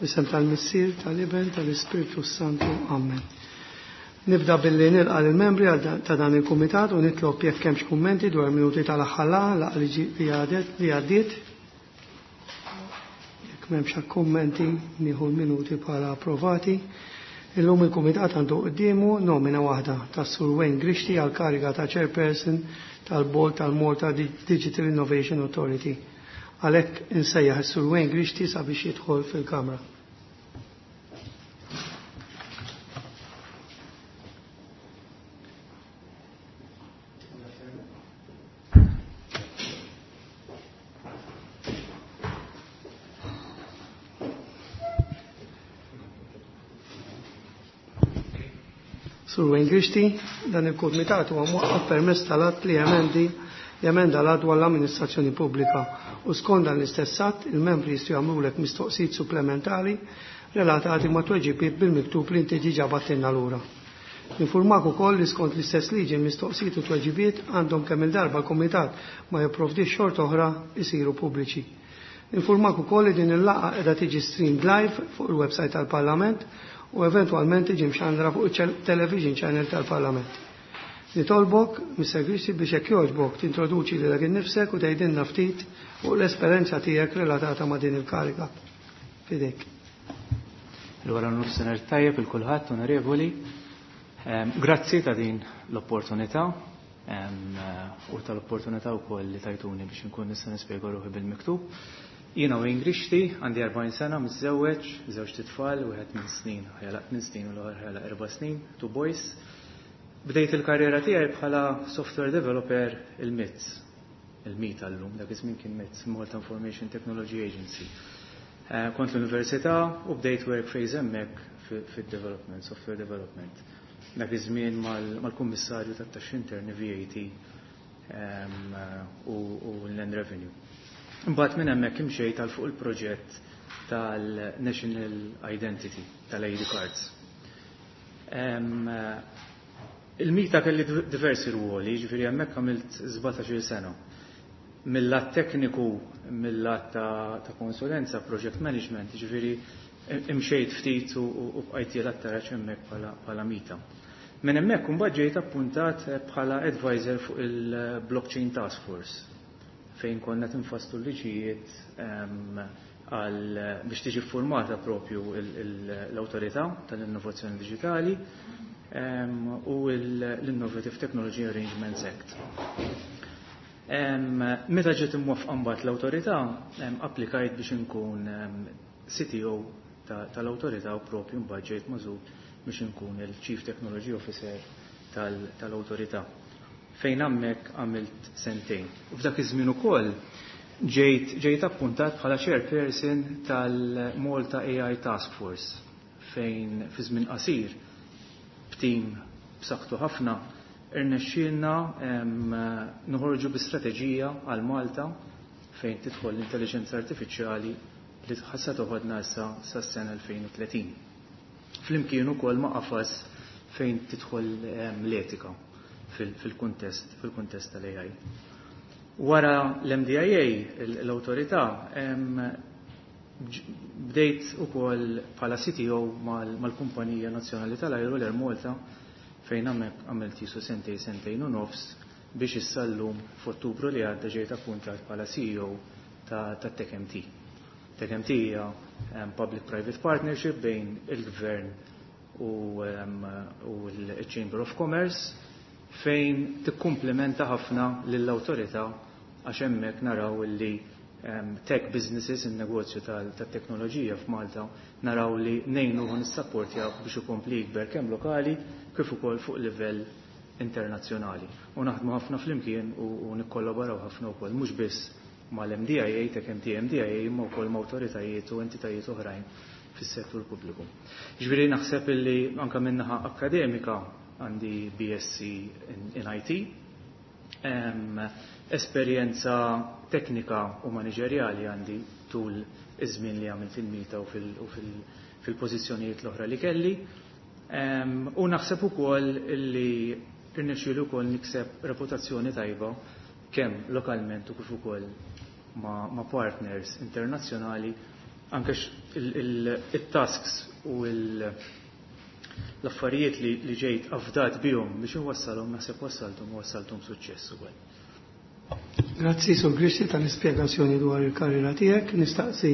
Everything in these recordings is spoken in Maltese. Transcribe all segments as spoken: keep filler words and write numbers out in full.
Fl-isem tal-Missier, tal-Iben, tal-Ispirtu Santu. Amen. Nibda billi nilqa' lill-membri ta' dan il-kumitat u nitlob jekk hemmx kummenti dwar minuti tal-aħħar laqgħa li għadet li għaddiet. Jekk m'hemmx kummenti nieħu l-minuti bħala approvati. Illum il-kumitat għandu quddiemu nomina waħda tas-Sur Wayne Grixti għal kariga ta' Chairperson tal-Board tal-Malta Digital Innovation Authority. Għalhekk insejjaħ is-Sur Wayne Grixti sabiex jidħol fil-Kamra. Sur Wayne Grixti, dan il-kumitat huwa mwaqqaf permezz tal-att li jemendi jemenda l-att dwar l-amministrazzjoni pubblika u skont dan l-istess att il-membri jistgħu jagħmlulek mistoqsijiet supplementari relatati ma' tweġibiet bil-miktub li inti diġà bagħtilna lura. Infurmak ukoll li skont l-istess liġi l-mistoqsijiet u tweġibiet għandhom kemm il-darba l-kumitat ma jipprovdix xorta oħra isiru pubbliċi. Infurmak ukoll li din il-laqgħa qiegħda tiġi streamed live fuq il-website tal-Parlament u eventwalment tiġi mxandra fuq il-television channel tal-Parlament. Nitolbok, Mister Grixti, biex jekk jogħġbok tintroduċi lilek innifsek u tgħidilna ftit fuq l-esperjenza tiegħek relatata ma' din il-kariga. Fidejk. Il-wara nofsinhar tajjeb il kulħadd, onorevoli. Ehm, grazzi ta' din l-opportunità, ehm, u tal-opportunità wkoll li tajtuni biex inkun nista' nispjega ruħi bil-miktub. Jiena Wayne Grixti, għandi erbgħin sena, miżżewweġ, żewġ titfal, wieħed minn snin, ħajlaq tmien snin u l-oħra ħajlaq erba' snin, two boys. Bdejt il-karriera tiegħi bħala software developer il-M I T S, il-MITA llum, dak iż-żmien kien M I T S, Malta Information Technology Agency. Eh, kont l-università u bdejt work phase hemmhekk fid-development, software development. Dak iż-żmien mal-kummissarju tat-taxxi interni V A T ehm, u l-Land Revenue. Imbagħad minn hemmhekk imxejt għal fuq il-proġett tal-National Identity, tal-I D Cards. Ehm, Il-MITA kelli diversi ruoli, ġifieri hemmhekk għamilt sbatax-il sena. Mill-lat tekniku, mill-lat ta', ta konsulenza, project management, ġifieri imxejt ftit u, u bqajt jien taraġ hemmhekk bħala MITA. Minn hemmhekk imbagħad ġejt appuntat bħala advisor fuq il-Blockchain Task Force, fejn konna tinfasslu liġijiet għal biex tiġi formata propju l-Awtorità tal-Innovazzjoni Digitali u l-Innovative Technology Arrangements Act. Meta ġiet imwaffqa mbagħad l-awtorità, applikajt biex inkun C T O tal-awtorità u propju mbagħad ġejt magħżul biex inkun il-Chief Technology Officer tal-awtorità. Fejn hemmhekk għamilt sentejn. U f'dak iż-żmien ukoll ġejt ġejt appuntat bħala chairperson tal-Malta A I Task Force, fejn fi żmien qasir b'tim b'saħħtu ħafna irnexxielna noħorġu bi strateġija għal Malta fejn tidħol l-intelligenza artifiċjali li ħassa toħodna issa sas-sena elfejn u tletin. Flimkien ukoll ma' qafas fejn tidħol l-etika fil-kuntest fil-kuntest tal-A I. Wara l-M D I A, l-awtorità, bdejt ukoll bħala C T O mal-Kumpanija Nazzjonali tal-Ajru, l-Air Malta, fejn għamilt jisu sentej, sentejn u nofs, biex issa llum f'Ottubru li għadda ġejt appuntat bħala C E O ta' TechMT. TechMT hija public-private partnership bejn il-Gvern u l-Chamber of Commerce, fejn tikkumplementa ħafna lill-awtorità, għax hemmhekk naraw li tech businesses, il-negozju tal-teknoloġija f'Malta, naraw li ngħinu u nissapportjaw biex ikompli jikber kemm lokali kif ukoll fuq livell internazzjonali. U naħdmu ħafna flimkien u nikkollaboraw ħafna wkoll mhux biss mal-M D I A, Tech M T M D I A, imma wkoll ma' awtoritajiet u entitajiet oħrajn fis-settur pubbliku. Ġifieri naħseb illi anke min-naħa akkademika għandi B S C in, in I T, um, esperjenza teknika u maniġerjali għandi tul iż-żmien li għamilt fil-MITA u fil-pożizzjonijiet l-oħra li kelli. Um, u naħseb ukoll li irnexxielu wkoll nikseb reputazzjoni tajba kemm lokalment u kif ukoll ma', ma partners internazzjonali. Anke il-tasks u l-affarijiet li ġejt afdat bihom biex inwassalhom naħseb wassalthom u wassalthom suċċess ukoll. Grazzi Sur Grixti tal-ispjegazzjoni dwar il-karriera tiegħek. Nistaqsi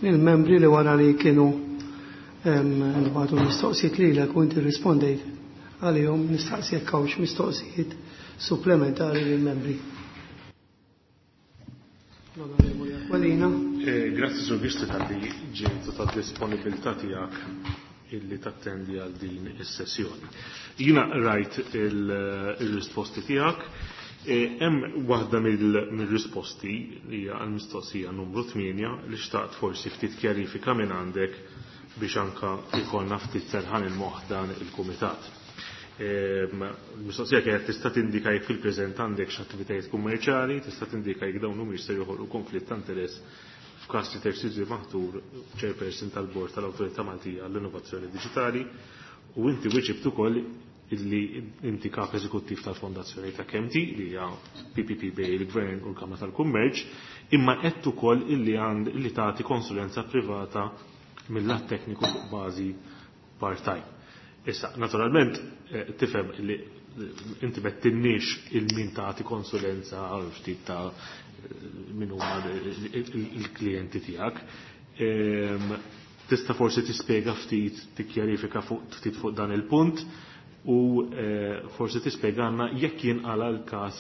lill-membri li wara li kienu ntbagħtu mistoqsijiet lilek u inti rrispondejt għalihom, nistaqsi jekk hawnx mistoqsijiet supplementari lill-membri. L-Onorevoli Aquilina. Grazzi Sur Grixti tal-li ġejt u tad-disponibilità tiegħek illi tattendi għal din is-sessjoni. Jiena rajt il-risposti tiegħek. Hemm waħda mill-risposti li hija għall-mistoqsija numru tmienja li xtaqt forsi ftit kjarifika minn għandek biex anka jkollna ftit serħan il-moħħ dan il-kumitat. Il-mistoqsija kienet tista' tindika jekk fil-preżent għandek x'attivitajiet kummerċjali, tista' tindika jekk dawn humiex se joħolqu konflitt ta' interess f'każ li terġa' maħtur chairperson tal-Bord tal-Awtorità Maltija għall-Innovazzjoni Diġitali, u inti wieġibt ukoll illi inti kap eżekuttiv tal-Fondazzjoni ta' Kemti li hija P P P bej il-Gvern u l-Kamra tal-Kummerċ, imma qed ukoll illi għand illi tagħti konsulenza privata mill-lat tekniku fuq bażi part-time. Issa, naturalment, tifhem li inti mettinniex il-min tagħti konsulenza għal ftit ta' min huma il-klijenti tiegħek. Tista' forsi tispjega ftit, tikkjarifika ftit fuq dan il-punt u forsi tispjegana jekk jinqala l-każ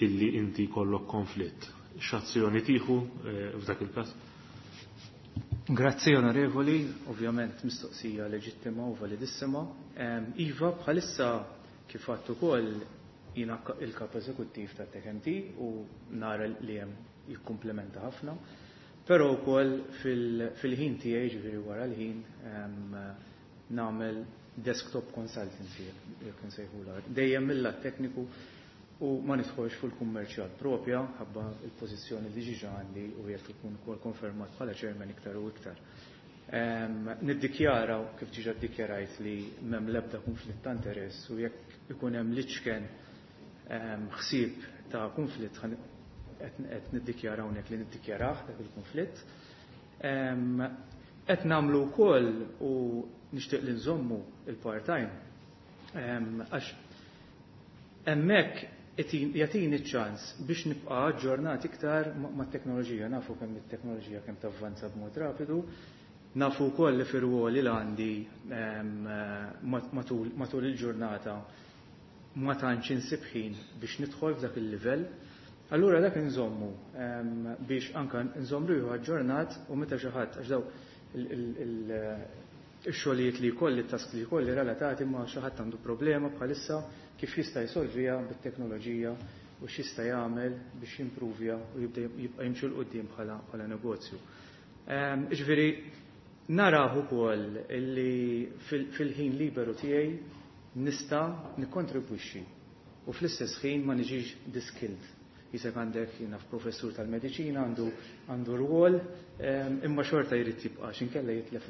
illi inti jkollok konflitt. X'azzjoni tieħu f'dak il-każ? Grazzi onorevoli, ovvjament mistoqsija leġittima u validissima. Iva, bħalissa kif għadt ukoll jiena il-kap eżekuttiv ta' T K M T u nara li hemm jikkumplementa ħafna, però wkoll fil-ħin tiegħi, ġifieri wara l-ħin, nagħmel desktop consultancy, jekk insejħulha. Dejjem mill-lat tekniku u ma nidħolx fuq il-kummerċjal propja, ħabba il-pożizzjoni li ġiġa għandi u jekk ikun ukoll konfermat bħala chairman iktar u iktar. Niddikjara, kif ġiġa ddikjarajt, li m'hemm l-ebda konflitt ta' interess u jekk ikun hemm liċken ħsieb ta' konflitt qed niddikjara hawnhekk li niddikjarah dak il-konflitt. Qed nagħmlu wkoll u nixtieq li nżommu il-part-time għax hemmhekk jagħtini ċ-ċans biex nibqa' aġġornat iktar mat-teknoloġija. Nafu kemm it-teknoloġija kemm tavvanza b'mod rapidu, nafu wkoll li fir-ruoli li għandi matul il-ġurnata ma tantx insib ħin biex nidħol f'dak il-livell. Allura dak inżommu biex anka nżomm ruħu aġġornat u meta xi ħadd, għax daw ix-xogħlijiet li jkolli, it-task li jkolli relatati ma' xi ħadd għandu problema bħalissa kif jista' jsolvija bit-teknoloġija u x'jista' jagħmel biex jimpruvja u jibda jibqa' jimxi 'l quddiem bħala negozju. Ġifieri naraw ukoll illi fil-ħin liberu tiegħi nista' nikkontribwixxi u fl-istess ħin ma niġix diskilled. Jisek għandek jiena professur tal-mediċina għandu għandu rwol, imma xorta jrid jibqa' x'inkella jitlef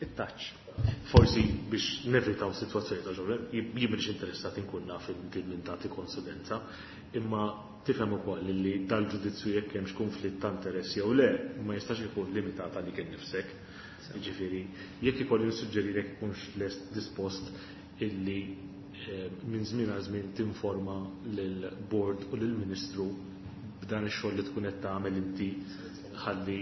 it-touch. Forsi biex nevitaw sitwazzjoni ta' ġobre, jien m'iniex interessat inkun naf inti min tagħti konsulenza, imma tifhem ukoll li dal-ġudizzju jekk hemmx konflitt ta' interess jew le, ma jistax ikun limitat għalik innifsek. Jiġifieri, jekk ikolli nissuġġerilek ikunx lest dispost illi minn żmien għal żmien tinforma lill-board u lill-Ministru b'dan ix-xogħol li tkun qed tagħmel inti ħalli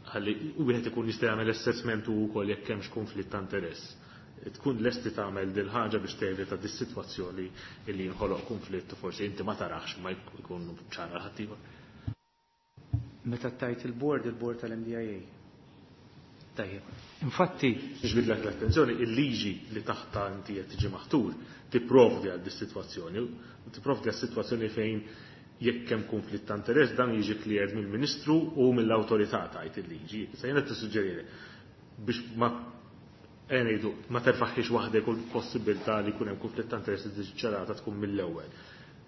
ħalli wieħed ikun jista' jagħmel assessment u wkoll jekk hemmx konflitt ta' interess. Tkun lest li tagħmel dil ħaġa biex tevita dis-sitwazzjoni li jinħoloq konflitt u forsi inti ma tarax ma jkun ċara ħaddieħor. Meta tajt il-board, il-board tal-M D I A. Tajjeb. Infatti, Niġbidlek l-attenzjoni, il-liġi li taħta inti qed tiġi maħtur tipprovdi għal dis-sitwazzjoni, u tipprovdi għal sitwazzjoni fejn jekk hemm konflitt ta' interess dan jiġi cleared mill-Ministru u mill-awtorità tajt il-liġi. Issa jiena tissuġġerili biex ma ngħidu ma terfaħħiex waħdek u l-possibilità li jkun hemm konflitt ta' interess li tiġi ċarata tkun mill-ewwel.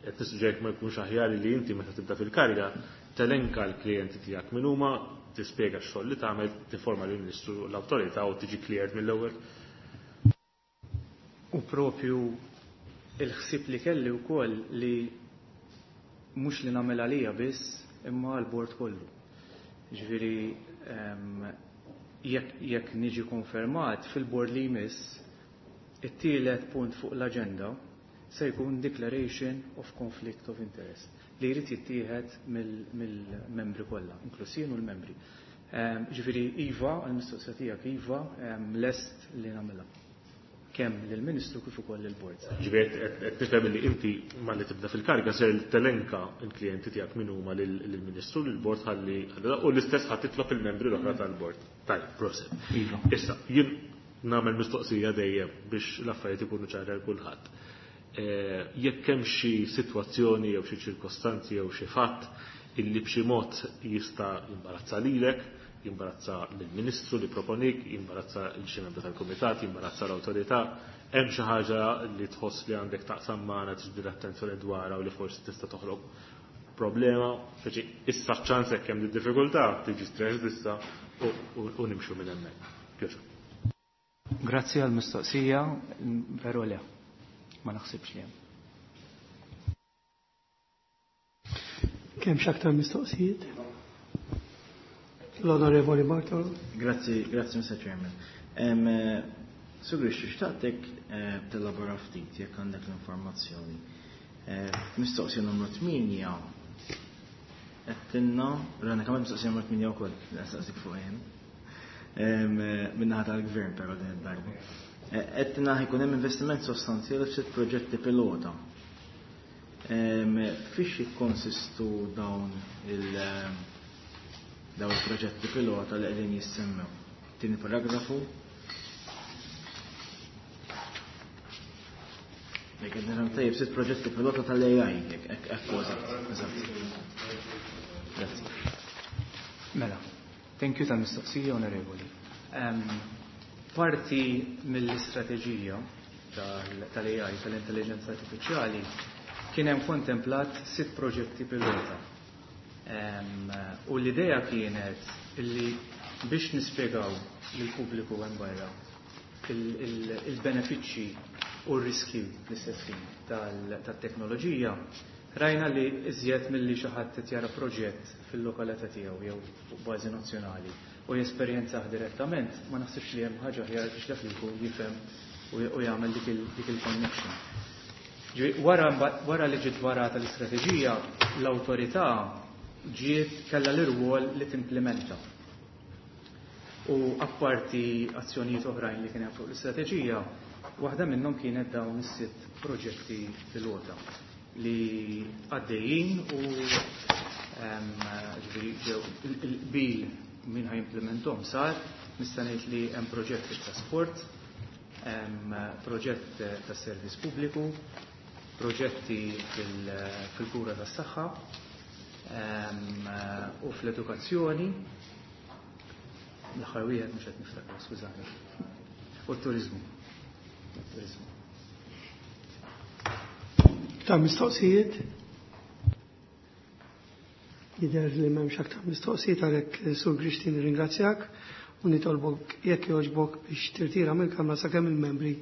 Qed tissuġġerik ma jkunx aħjar li inti meta tibda fil-kariga telenka l-klijenti tiegħek min huma, tispjega x-xogħol li tagħmel, tinforma lill-Ministru u l-awtorità u tiġi cleared mill-ewwel. U propju il-ħsieb li kelli wkoll li mhux li nagħmel għalija biss imma għall-bord kollu. Ġifieri, ehm, Jekk niġi konfermat fil-board li jmiss, it-tielet punt fuq l-aġenda se jkun Declaration of Conflict of Interest li jrid jittieħed mill-membri kollha, inkluż jien u l-membri. Ġifieri iva, għall-mistoqsija tiegħek iva, lest li nagħmilha. Kemm lill-Ministru kif ukoll lill-Bord. Ġifieri qed nifhem li inti malli tibda fil-kariga ser telenka l-klijenti tiegħek min huma lill-Ministru, lill-Bord ħalli u l-istess ħadd titlob il-membri l-oħra tal-Bord. Tajjeb, proset. Iva. Issa, jien nagħmel mistoqsija dejjem biex l-affarijiet ikunu ċari għal kulħadd. Jekk hemm xi sitwazzjoni jew xi ċirkostanzi jew xi fatt illi b'xi mod jista' jimbarazza lilek, jimbarazza lill-Ministru li proponik, jimbarazza l xi membru tal-Kumitat, jimbarazza l-awtorità, hemm xi ħaġa li tħoss li għandek taqsam magħna tiġbid attenzjoni dwarha u li forsi tista' toħloq problema, speċi issa ċ-ċans hekk hemm diffikultà tiġi stress issa u nimxu minn hemmhekk. Pjaċur. Grazzi għall-mistoqsija, veru le. Ma naħsibx li hemm. Kemm x'aktar mistoqsijiet? L-Onorevoli Bartolo. Grazzi, grazzi Mister Chairman. Sur Grixti, xtaqtek tellabora ftit jekk għandek l-informazzjoni. Mistoqsija numru tmienja qed rana kemm mistoqsija numru tmienja wkoll, nistaqsik fuq hemm. Min-naħa tal-gvern però din id-darba. Qed ħajkun hemm investiment sostanzjali f'sitt proġetti pilota. Fiex jikkonsistu dawn il dawn il-proġetti pilota li qegħdin jissemmew? Tieni paragrafu. Jekk qed nifhem tajjeb sitt proġetti pilota tal-A I, jekk hekk eżatt, eżatt. Grazzi. Mela, thank you tal-mistoqsija, onorevoli. Parti mill-istrateġija tal-A I, tal-intelligenza artifiċjali, kien hemm kontemplat sitt proġetti pilota. U l-idea kienet illi biex nispjegaw lill-pubbliku hemm barra il-benefiċċji u r-riski fl-istess ħin tat-teknoloġija, rajna li iżjed milli xi ħadd qed jara proġett fil-lokalità tiegħu jew fuq bażi nazzjonali u jesperjenzah direttament, ma naħsibx li hemm ħaġa aħjar biex dak li jkun jifhem u jagħmel dik il-connection. Wara, wara li ġiet varata l-istrateġija, l-awtorità ġiet kellha l-irwol li timplementa. U apparti azzjonijiet oħrajn li kien hemm fuq l-istrateġija, waħda minnhom kienet dawn is-sitt proġetti pilota li għaddejjin u ġifieri ġew il-qbil min ħajimplementhom sar, nista' ngħid li hemm proġett fit-trasport, hemm proġett tas-servizz pubbliku, proġetti fil-kura tas-saħħa u fl-edukazzjoni, l-aħħar wieħed mhux qed niftakar, skużani, u t-turiżmu. Turizmu. Ta' mistoqsijiet? Jidher li m'hemmx aktar mistoqsijiet, għalhekk Sur Grixti nirringrazzjak u nitolbok jekk jogħġbok biex tirtira mill-Kamra sakemm il-membri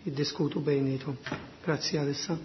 jiddiskutu bejniethom. Grazzi għalissa.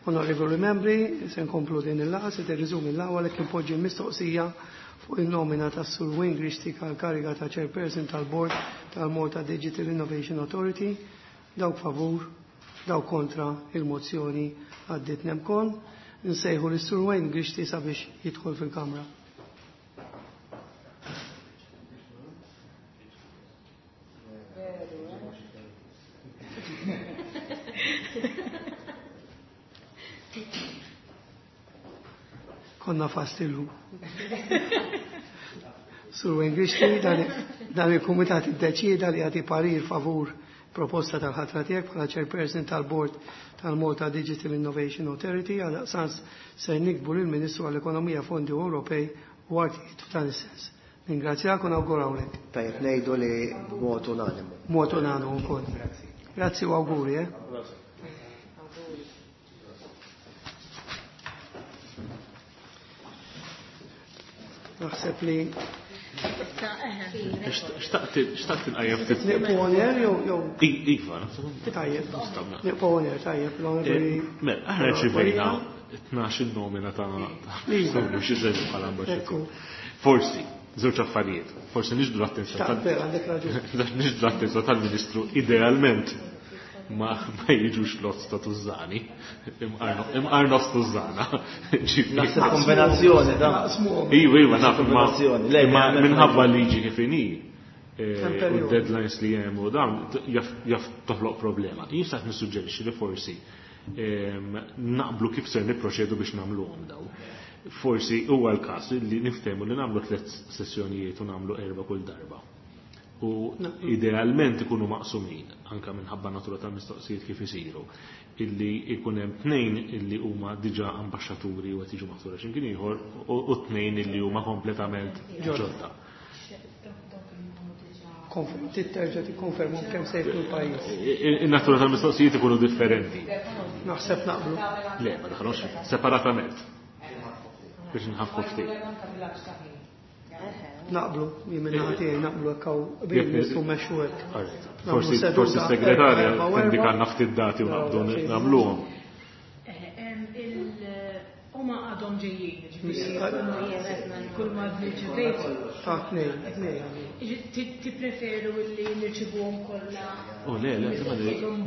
Onorevoli membri, se nkomplu din il-laqgħa, se tirriżumi l-laqgħa għalhekk impoġġi l-mistoqsija fuq il-nomina tas-Sur Wayne Grixti għall-kariga ta' Chairperson tal-Board tal-Malta Digital Innovation Authority. Dawk favur, dawk kontra il-mozzjoni għaddiet nemkon. Nsejħu lis-Sur Wayne Grixti sabiex jidħol fil-Kamra. Konna fastillu. Sur Wayne Grixti, dan il-Kumitat iddeċieda li jagħti parir favur proposta tal-ħatra tiegħek bħala chairperson tal-Board tal-Malta Digital Innovation Authority għal sans ser nikbu lill-Ministru għall-Ekonomija Fondi Ewropej u Artijiet f'dan is-sens. Ningrazzjak u nawgurawlek. Tajjeb ngħidu li b'mod unanimu. B'mod unanimu wkoll. Grazzi. Grazzi u awguri, eh. Naħseb li Xtaqt inqajjem ftit. Nieqfu on air jew jew Iva, tajjeb. Nieqfu on air, tajjeb, l-onorevoli. Mela, aħna rċivejna tnax il-nomina ta' xi żewġ bħala ambaxxatur. Forsi, żewġ affarijiet. Forsi niġbdu l-attenzjoni għandek raġun. Niġbdu l-attenzjoni tal-Ministru idealment ma ma jiġux lots ta' tużani, imqar nofs tużana. Naħseb kombinazzjoni da. Iva, iva, naf, imma minħabba liġi kif inhi u deadlines li hemm u dawn jaf toħloq problema. Jien xtaqt nissuġġerixxi li forsi naqblu kif ser nipproċedu biex nagħmluhom daw. Forsi huwa l-każ li niftehmu li nagħmlu tliet sessjonijiet u nagħmlu erba' kull darba. U idealment ikunu maqsumin, anka minħabba natura tal-mistoqsijiet kif isiru, illi ikun hemm tnejn illi huma diġà ambaxxaturi u qed jiġu maħtura x'imkien ieħor u tnejn illi huma kompletament ġodda. Terġa' tikkonfermu kemm se jkun l-pajjiż. In-natura tal-mistoqsijiet ikunu differenti. Naħseb naqblu. Le, ma daħlux separatament. Biex nħaffu ftit. Naqblu, jien minn naħa tiegħi naqblu hekk hawn qbil nistgħu mmexxu hekk. Forsi forsi s-segretarja tindikalna ftit dati u naqbdu nagħmluhom. Huma għadhom ġejjin, ġifieri kull ma rċevejt. Ta' tnejn, tnejn. Tippreferu li nirċivuhom kollha? Oh le, le,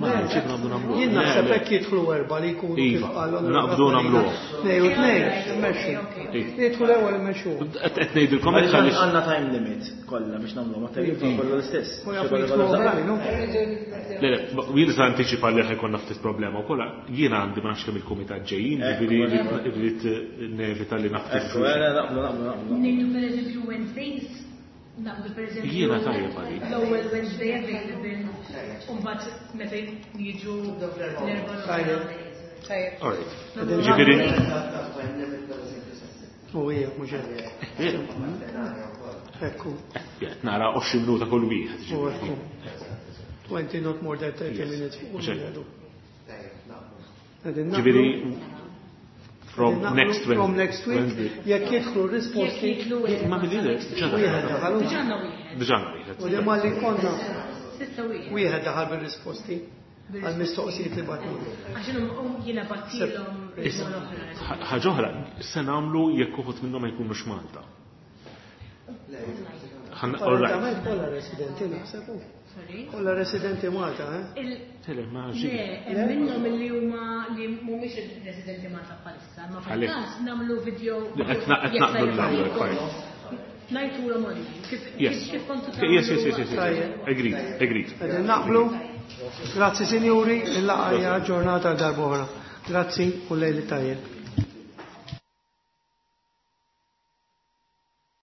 ma nirċivu naqbdu nagħmluhom. Jien naħseb hekk jidħlu erba' li jkunu kif qal naqbdu nagħmluhom. Tnejn u tnejn, immexxu. Jidħlu l-ewwel immexxu. Qed ngħidilkom hekk għaliex għandna time limit kollha biex nagħmluhom, ma tajjeb kollha l-istess. Le, le, jien se antiċipa li ħajkonna ftit problema wkoll. Jiena għandi ma nafx kemm il-kumitat ġejjin, ġifieri rrid nevita li naftit. Ekku, naqblu, naqblu, naqblu. Ngħidu pereżempju Wednesdays, naqblu pereżempju. Jiena tajjeb għalik. L-ewwel Wednesday available, u mbagħad meta jiġu l-erba' Tajjeb. Tajjeb. All right. Ġifieri U hija mhux hekk. Ekku. Nara għoxrin minuta kull wieħed. U ekku. twenty not more than thirty minutes fuq Ġifieri from next week. From next week, jekk jidħlu risposti. Ma mill-lider, wieħed daħal. Diġà wieħed. Diġà wieħed. U li ma li konna. Sitta wieħed. Wieħed daħal bir-risposti għal-mistoqsijiet li battu. Għax jiena battilhom Ħaġa oħra, se nagħmlu jekk uħud minnhom ma jkunux Malta. All right. Kollha residenti naħseb. Kollha residenti Malta, eh? Tele, ma ġi. Le, minnhom li huma li mhumiex residenti Malta bħalissa, ma fil-każ nagħmlu video. Qed naqblu l-ewwel part. Ngħidulhom online. Kif Yes. kif kontu Yes, yes, yes, yes. Agreed, agreed. Qegħdin naqblu. Grazzi sinjuri, il-laqgħa hija ġurnata darb'oħra. Grazzi u lejli tajjeb.